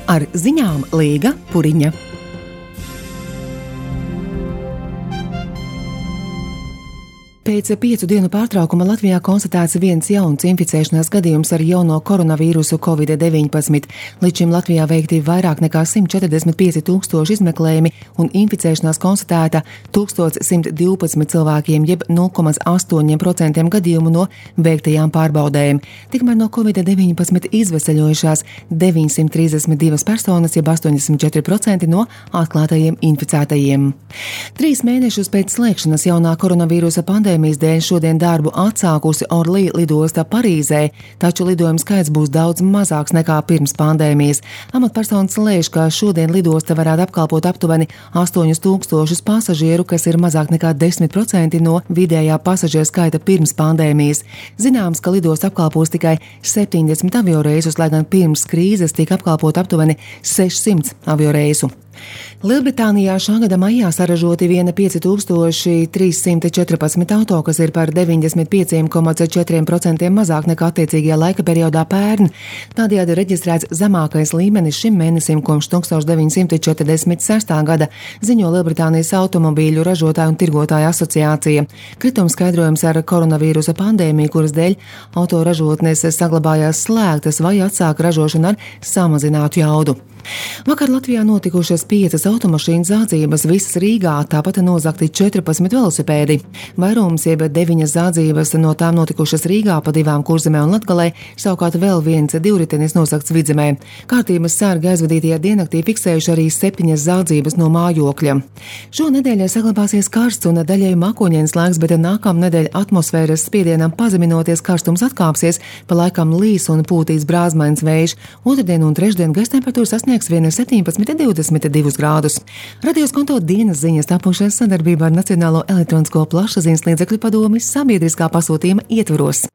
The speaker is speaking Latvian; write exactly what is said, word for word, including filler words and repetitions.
Ar ziņām Līga Puriņa. Pēc piecu dienu pārtraukuma Latvijā konstatēts viens jauns inficēšanās gadījums ar jauno koronavīrusu covid deviņpadsmit. Līdz šim Latvijā veikti vairāk nekā simt četrdesmit pieci tūkstoši izmeklējumi un inficēšanās konstatēta tūkstoš simt divpadsmit cilvēkiem, jeb nulle komats astoņi procenti gadījumu no veiktajām pārbaudēm. Tikmēr no covid deviņpadsmit izveseļojušās deviņsimt trīsdesmit divas personas, jeb astoņdesmit četri procenti no atklātajiem inficētajiem. Trīs mēnešus pēc slēgšanas jaunā koronavīrusa pandēmijas dēļ šodien darbu atsākusi Orly lidosta Parīzē, taču lidojumu skaits būs daudz mazāks nekā pirms pandēmijas. Amatpersonas lēš, ka šodien lidosta varētu apkalpot aptuveni astoņus tūkstošus pasažieru, kas ir mazāk nekā desmit procenti no vidējā pasažieru skaita pirms pandēmijas. Zināms, ka lidosta apkalpos tikai septiņdesmit avioreisus, lai gan pirms krīzes tika apkalpot aptuveni sešsimt avioreisu. Lielbritānijā šā gada maijā saražoti viena pieci tūkstoši trīs simti četrpadsmit auto, kas ir par deviņdesmit pieci komats četri procenti mazāk nekā attiecīgajā laika periodā pērn. Tādējādi reģistrēts zemākais līmenis šim mēnesim kopš tūkstoš deviņsimt četrdesmit sestā gada, ziņo Lielbritānijas automobīļu ražotāju un tirgotāju asociācija. Kritums skaidrojums ar koronavīrusa pandēmiju, kuras dēļ autoražotnes saglabājās slēgtas vai atsāka ražošanu ar samazinātu jaudu. Vakar Latvijā notikušas piecas automašīnu zādzības, visas Rīgā, tāpat nozagti četrpadsmit velosipēdi. Vairums jeb deviņas zādzības no tām notikušas Rīgā pa divām Kurzemē un Latgalē, savukārt vēl viens divritenis nozagts Vidzemē. Kārtības sargi aizvadītajā diennaktī fiksējuši arī septiņas zādzības no mājokļa. Šo nedēļu saglabāsies karsts un daļēji mākoņains laiks, bet nākamnedēļ atmosfēras spiedienam pazeminoties karstums atkāpsies, pa laikam līs un pūtīs brāzmains vējš. Otrdien un trešdien gaisa temperatūra sasniegs vien septiņpadsmit divdesmit divus grādus. Radio Skonto dienas ziņas tapušas sadarbībā ar Nacionālo elektronisko plašsaziņas līdzekļu padomi sabiedriskā pasūtījuma ietvaros.